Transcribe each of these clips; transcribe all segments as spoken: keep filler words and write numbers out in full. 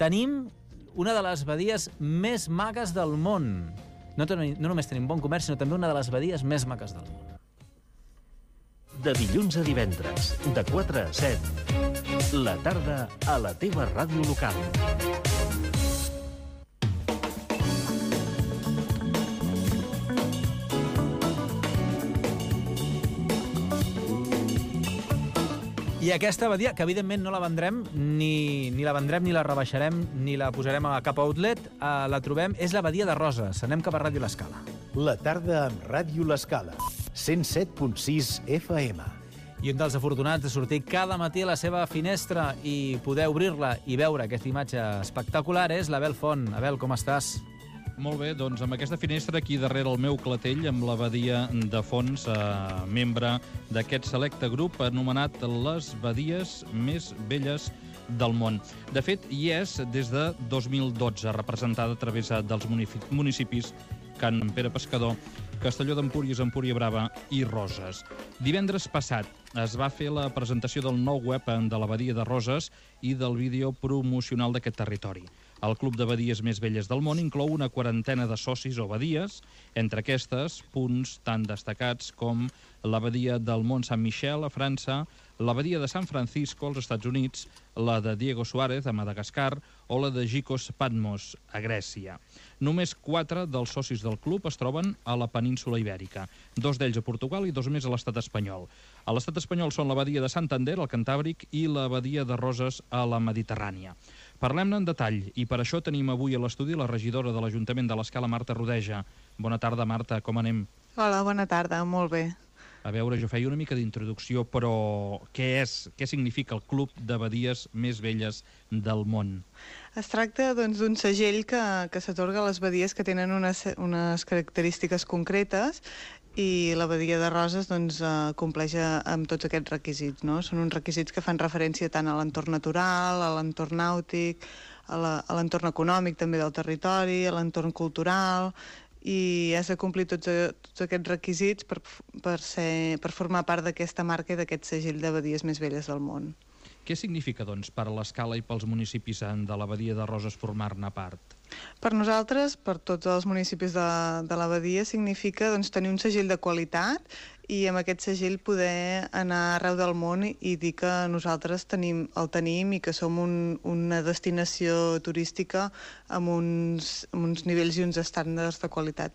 Tenim una de les badies més maques del món. No, ten no només tenim bon comerç, sinó també una de les badies més maques del món. De dilluns a divendres, de quatre a set, la tarda a la teva ràdio local. I aquesta badia, que evidentment no la vendrem, ni, ni la vendrem, ni la rebaixarem, ni la posarem a cap outlet, eh, la trobem, és la badia de Roses. Anem cap a Ràdio L'Escala. La tarda amb Ràdio L'Escala, cent set punt sis F M. I un dels afortunats de sortir cada matí a la seva finestra i poder obrir-la i veure aquesta imatge espectacular és l'Abel Font. Abel, com estàs? Molt bé, doncs amb aquesta finestra aquí darrere el meu clatell, amb la badia de fons, eh, membre d'aquest selecte grup anomenat les badies més velles del món. De fet, hi és des de dos mil dotze, representada a través dels municipis Can Pere Pescador, Castelló d'Empúries, Empúria Brava i Roses. Divendres passat es va fer la presentació del nou web de la badia de Roses i del vídeo promocional d'aquest territori. El Club de Badies Més Velles del Món inclou una quarantena de socis o badies, entre aquestes punts tan destacats com la badia del Mont Saint-Michel a França, la badia de San Francisco als Estats Units, la de Diego Suárez a Madagascar o la de Gikos Patmos a Grècia. Només quatre dels socis del club es troben a la península Ibèrica, dos d'ells a Portugal i dos més a l'estat espanyol. A l'estat espanyol són la badia de Santander, al Cantàbric, i la badia de Roses a la Mediterrània. Parlem-ne en detall i per això tenim avui a l'estudi la regidora de l'Ajuntament de l'Escala, Marta Rodeja. Bona tarda, Marta, com anem? Hola, bona tarda, molt bé. A veure, jo feia una mica d'introducció, però què és, què significa el Club de Badies Més Velles del Món? Es tracta doncs, d'un segell que, que s'atorga a les badies que tenen unes, unes característiques concretes i la badia de Roses doncs, eh, compleix amb tots aquests requisits, no? Són uns requisits que fan referència tant a l'entorn natural, a l'entorn nàutic, a l'entorn econòmic també del territori, a l'entorn cultural, i has de complir tots, tots aquests requisits per, per, ser, per formar part d'aquesta marca i d'aquest segell de badies més velles del món. Què significa, doncs, per a l'Escala i pels municipis de la badia de Roses formar-ne part? Per nosaltres, per tots els municipis de, de la badia, significa doncs, tenir un segell de qualitat i amb aquest segell poder anar arreu del món i dir que nosaltres tenim, el tenim i que som un, una destinació turística amb uns, amb uns nivells i uns estàndards de qualitat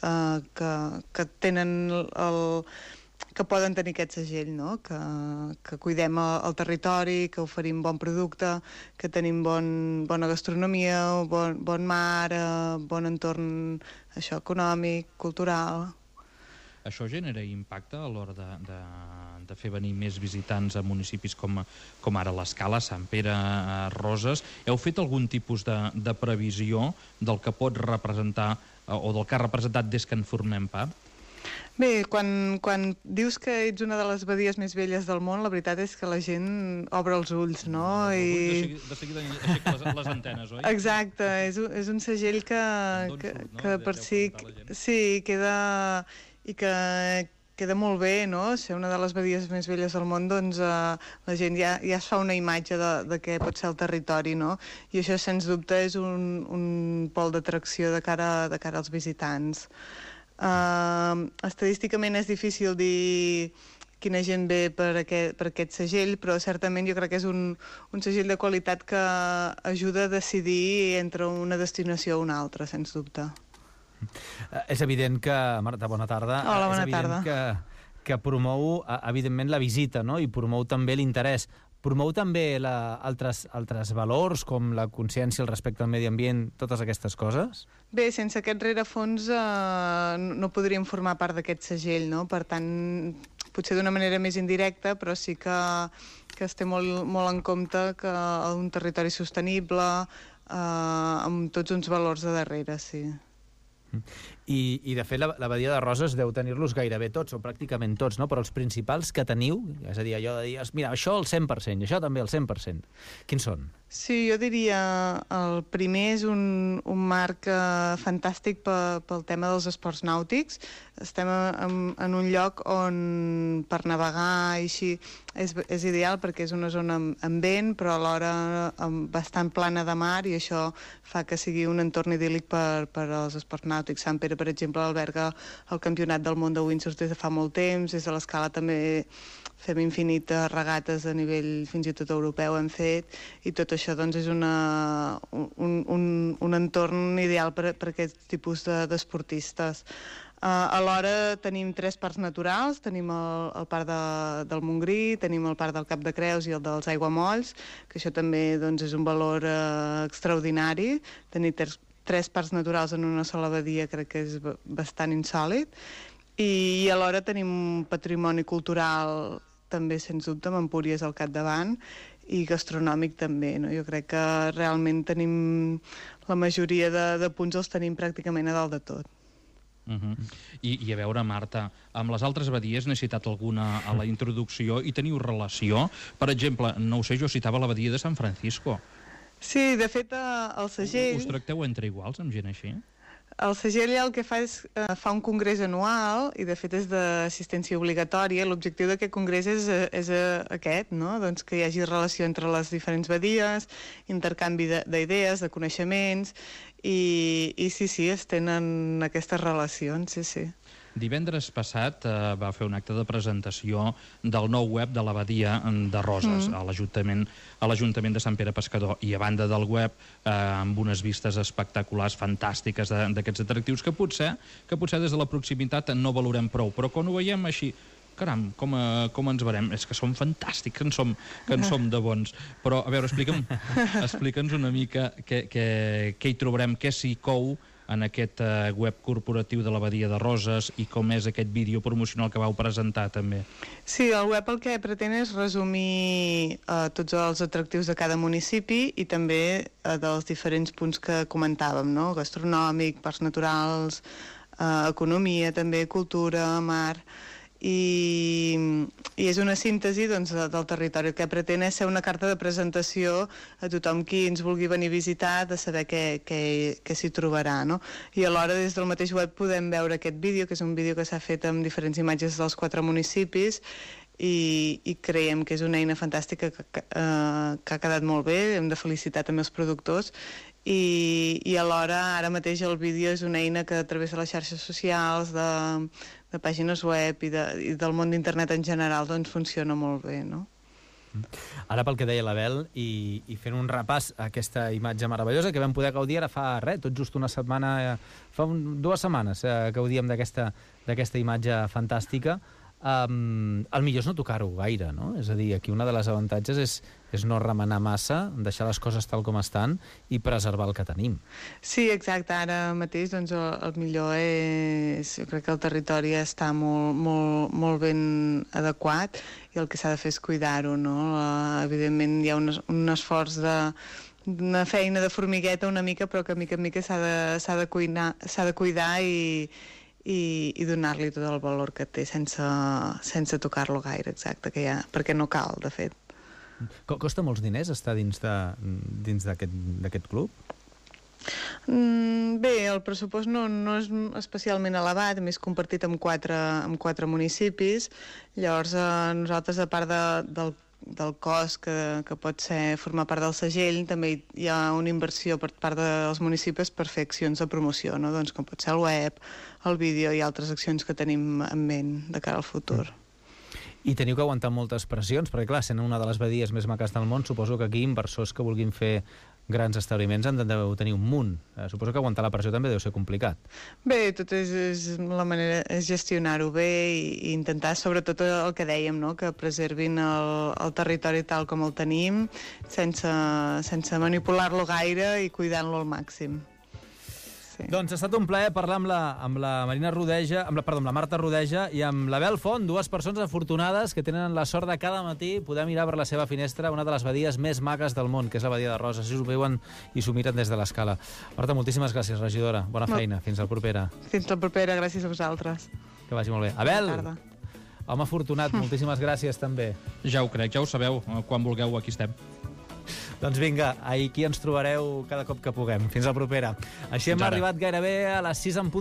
eh, que, que tenen el... que poden tenir aquest segell, no? que, que cuidem el, el territori, que oferim bon producte, que tenim bon, bona gastronomia, bon, bon mar, eh, bon entorn això, econòmic, cultural. Això genera impacte a l'hora de, de, de fer venir més visitants a municipis com, com ara l'Escala, Sant Pere, Roses. Heu fet algun tipus de, de previsió del que pot representar o del que ha representat des que en formem part? Bé, quan, quan dius que ets una de les badies més velles del món, la veritat és que la gent obre els ulls, no? I... De seguida aixeca les, les antenes, oi? Exacte, és un, és un segell que, que, surt, no? que per si sí, queda, i que queda molt bé, no? Ser una de les badies més velles del món, doncs eh, la gent ja, ja es fa una imatge de, de què pot ser el territori, no? I això, sens dubte, és un, un pol d'atracció de cara, de cara als visitants. Uh, estadísticament és difícil dir quina gent ve per aquest, per aquest segell, però certament jo crec que és un, un segell de qualitat que ajuda a decidir entre una destinació o una altra, sens dubte. Uh, és evident que, Marta, bona tarda. Hola, bona és evident tarda. Que, que promou, evidentment, la visita, no? I promou també l'interès. Promou també la, altres, altres valors, com la consciència, el respecte al medi ambient, totes aquestes coses? Bé, sense aquest rerefons eh, no podríem formar part d'aquest segell, no? Per tant, potser d'una manera més indirecta, però sí que, que es té molt, molt en compte que un territori sostenible, eh, amb tots uns valors de darrere, sí. I, i de fet, la, la badia de Roses deu tenir-los gairebé tots, o pràcticament tots, no? Però els principals que teniu, és a dir, allò de dir, mira, això al cent per cent, i això també al cent per cent. Quins són? Sí, jo diria el primer és un, un marc eh, fantàstic pe, pel tema dels esports nàutics. Estem en, en un lloc on per navegar i així és, és ideal perquè és una zona amb, amb vent, però alhora amb bastant plana de mar, i això fa que sigui un entorn idíl·lic per, per als esports nàutics. Sant Pere, per exemple, alberga el Campionat del Món de Windsurf des de fa molt temps, des de l'Escala també fem infinites regates a nivell fins i tot europeu hem fet, i tot això doncs és una, un, un, un entorn ideal per, per aquest tipus d'esportistes. De, Uh, alhora tenim tres parcs naturals, tenim el, el parc de, del Montgrí, tenim el parc del Cap de Creus i el dels Aiguamolls, que això també doncs, és un valor uh, extraordinari. Tenir tres, tres parcs naturals en una sola badia crec que és bastant insòlit. I, i alhora tenim un patrimoni cultural també, sens dubte, amb Empúries al capdavant, i gastronòmic també, no? Jo crec que realment tenim la majoria de, de punts els tenim pràcticament a dalt de tot. Uh-huh. I, I a veure, Marta, amb les altres badies n'he citat alguna a la introducció i teniu relació? Per exemple, no ho sé, jo citava la badia de San Francisco. Sí, de fet, el segell... Us tracteu entre iguals amb gent així? El segell el que fa és eh, fa un congrés anual, i de fet és d'assistència obligatòria. L'objectiu d'aquest congrés és, és aquest, no? Doncs que hi hagi relació entre les diferents badies, intercanvi d'idees, de, de coneixements, i, i sí, sí, es tenen aquestes relacions, sí, sí. Divendres passat eh, va fer un acte de presentació del nou web de l'Abadia de Roses, mm. a l'Ajuntament a l'Ajuntament de Sant Pere Pescador, i a banda del web, eh, amb unes vistes espectaculars, fantàstiques d'aquests atractius, que potser, que potser des de la proximitat no valorem prou, però quan ho veiem així, caram, com, a, com ens veurem? És que som fantàstics, que en som, que en som de bons. Però, a veure, explica'm, explica'ns una mica què, què, què hi trobarem, què s'hi cou en aquest uh, web corporatiu de l'Abadia de Roses, i com és aquest vídeo promocional que vau presentar també. Sí, el web el que pretén és resumir uh, tots els atractius de cada municipi i també uh, dels diferents punts que comentàvem, no? Gastronòmic, parcs naturals, uh, economia també, cultura, mar... I, i és una síntesi doncs, del territori. El que pretén és ser una carta de presentació a tothom qui ens vulgui venir a visitar, de saber què, què, què s'hi trobarà, no? I alhora des del mateix web podem veure aquest vídeo, que és un vídeo que s'ha fet amb diferents imatges dels quatre municipis, i, i creiem que és una eina fantàstica que, que, uh, que ha quedat molt bé. Hem de felicitar també els productors, i, i alhora ara mateix el vídeo és una eina que a través de les xarxes socials, de, de pàgines web i, de, i del món d'internet en general doncs funciona molt bé, no? Ara pel que deia l'Abel, i, i fent un repàs a aquesta imatge meravellosa que vam poder gaudir ara fa res, tot just una setmana, fa un, dues setmanes eh, gaudíem d'aquesta d'aquesta imatge fantàstica. Um, el millor és no tocar-ho gaire, no? És a dir, aquí una de les avantatges és, és no remenar massa, deixar les coses tal com estan i preservar el que tenim. Sí, exacte. Ara mateix doncs, el, el millor és... Jo crec que el territori està molt, molt, molt ben adequat, i el que s'ha de fer és cuidar-ho, no? Uh, evidentment hi ha un, un esforç de... una feina de formigueta una mica, però que mica en mica s'ha de, s'ha de, cuinar, s'ha de cuidar i... i, i donar-li tot el valor que té sense, sense tocar-lo gaire, exacte, que ja, perquè no cal, de fet. Costa molts diners estar dins d'aquest club? Mm, bé, el pressupost no, no és especialment elevat, a més compartit amb quatre, amb quatre municipis. Llavors, eh, nosaltres, a part de, del del cost que, que pot ser formar part del segell, també hi ha una inversió per part dels municipis per fer accions de promoció, no? Doncs com pot ser el web, el vídeo i altres accions que tenim en ment de cara al futur. I teniu que aguantar moltes pressions, perquè clar, sent una de les badies més maques del món, suposo que aquí inversors que vulguin fer grans establiments han de tenir un munt. Eh, suposo que aguantar la pressió també deu ser complicat. Bé, tot és, és la manera és gestionar-ho bé i, i intentar, sobretot el que dèiem, no? Que preservin el, el territori tal com el tenim, sense, sense manipular-lo gaire i cuidant-lo al màxim. Sí. Doncs ha estat un plaer parlar amb la, amb la Marina Rodeja, amb la, perdó, amb la Marta Rodeja i amb l'Abel Font, dues persones afortunades que tenen la sort de cada matí poder mirar per la seva finestra una de les badies més maques del món, que és la badia de Roses. Així ho veuen i s'ho miren des de l'escala. Marta, moltíssimes gràcies, regidora. Bona feina. Fins la propera. Fins la propera. Gràcies a vosaltres. Que vagi molt bé. Abel! Bona tarda. Home afortunat, moltíssimes gràcies també. Ja ho crec, ja ho sabeu. Quan vulgueu, aquí estem. Doncs vinga, aquí ens trobareu cada cop que puguem. Fins la propera. Així hem arribat gairebé a les sis en punt